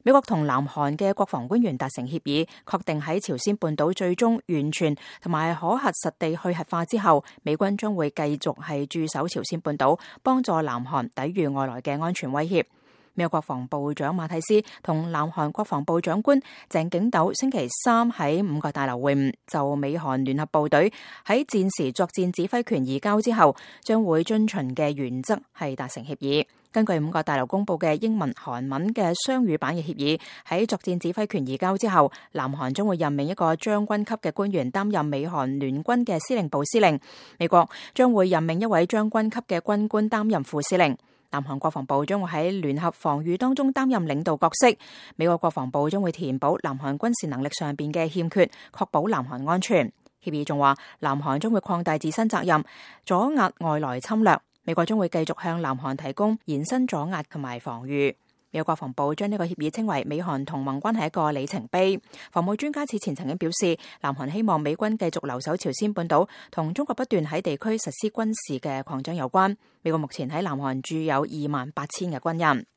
美國同南韓嘅國防官員達成協議，確定喺朝鮮半島最終完全同埋可核實地去核化之後，美軍將會繼續係駐守朝鮮半島，幫助南韓抵禦外來嘅安全威脅。美國國防部長馬蒂斯同南韓國防部長官鄭景斗星期三喺五角大樓會晤，就美韓聯合部隊喺戰時作戰指揮權移交之後將會遵循嘅原則係達成協議。根據五角大樓公布嘅英文、韓文嘅雙語版嘅協議，喺作戰指揮權移交之後，南韓將會任命一個將軍級嘅官員擔任美韓聯軍嘅司令部司令，美國將會任命一位將軍級嘅軍官擔任副司令。南韓國防部將會喺聯合防禦當中擔任領導角色，美國國防部將會填補南韓軍事能力上邊嘅欠缺，確保南韓安全。協議仲話，南韓將會擴大自身責任，阻壓外來侵略。美國將會繼續向南韓提供延伸阻壓同埋防禦。美國國防部將呢個協議稱為美韓同盟關係一個里程碑。防務專家此前曾經表示，南韓希望美軍繼續留守朝鮮半島，同中國不斷喺地區實施軍事嘅擴張有關。美國目前喺南韓駐有28,000嘅軍人。